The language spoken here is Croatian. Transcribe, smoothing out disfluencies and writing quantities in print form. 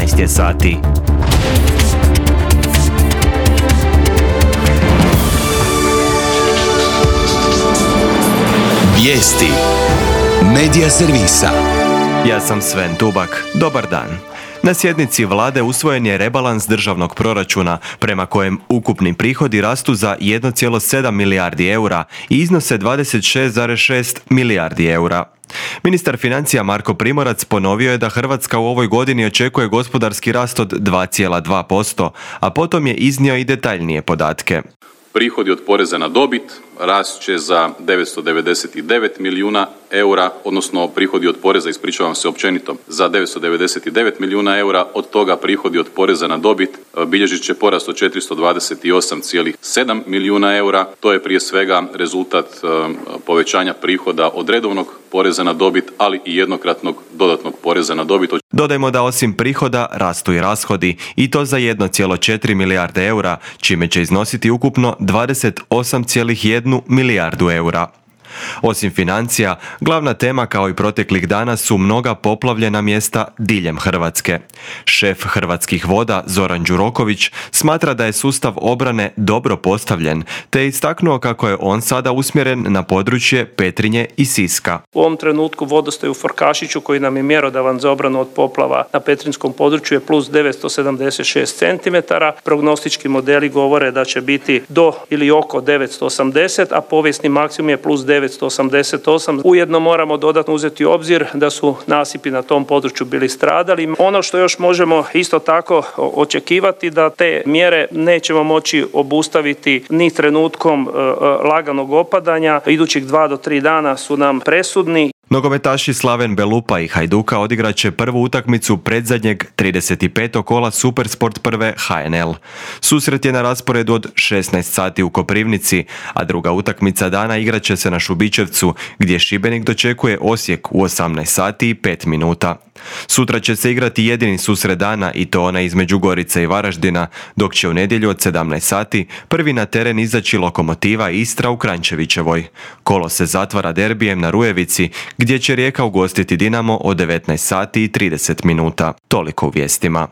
11 je sati. Vijesti Medija servisa. Ja sam Sven Tubak. Dobar dan. Na sjednici vlade usvojen je rebalans državnog proračuna prema kojem ukupni prihodi rastu za 1,7 milijardi eura i iznose 26,6 milijardi eura. Ministar financija Marko Primorac ponovio je da Hrvatska u ovoj godini očekuje gospodarski rast od 2,2%, a potom je iznio i detaljnije podatke. Prihodi od poreza na dobit rast će za 999 milijuna eura, odnosno prihodi od poreza, ispričavam se općenito, za 999 milijuna eura, od toga prihodi od poreza na dobit bilježit će porast od 428,7 milijuna eura. To je prije svega rezultat povećanja prihoda od redovnog poreza na dobit, ali i jednokratnog dodatnog poreza na dobit. Dodajmo da osim prihoda rastu i rashodi, i to za 1,4 milijarde eura, čime će iznositi ukupno 28,1 milijardu eura. Osim financija, glavna tema kao i proteklih dana su mnoga poplavljena mjesta diljem Hrvatske. Šef Hrvatskih voda Zoran Đuroković smatra da je sustav obrane dobro postavljen, te je istaknuo kako je on sada usmjeren na područje Petrinje i Siska. U ovom trenutku vodostaj u Farkašiću, koji nam je mjerodavan za obranu od poplava na Petrinjskom području, je plus 976 cm. Prognostički modeli govore da će biti do ili oko 980, a povijesni maksimum je plus 988. Ujedno moramo dodatno uzeti u obzir da su nasipi na tom području bili stradali. Ono što još možemo isto tako očekivati, da te mjere nećemo moći obustaviti ni trenutkom laganog opadanja. Idućih 2 do 3 dana su nam presudni. Nogometaši Slaven Belupa i Hajduka odigrat će prvu utakmicu predzadnjeg 35. kola Supersport prve HNL. Susret je na rasporedu od 16 sati u Koprivnici, a druga utakmica dana igrat će se na Šubićevcu, gdje Šibenik dočekuje Osijek u 18 sati i 5 minuta. Sutra će se igrati jedini susret dana, i to onaj između Gorice i Varaždina, dok će u nedjelju od 17 sati prvi na teren izaći Lokomotiva Istra u Kranjčevićevoj. Kolo se zatvara derbijem na Rujevici, gdje će Rijeka ugostiti Dinamo od 19 sati i 30 minuta. Toliko u vijestima.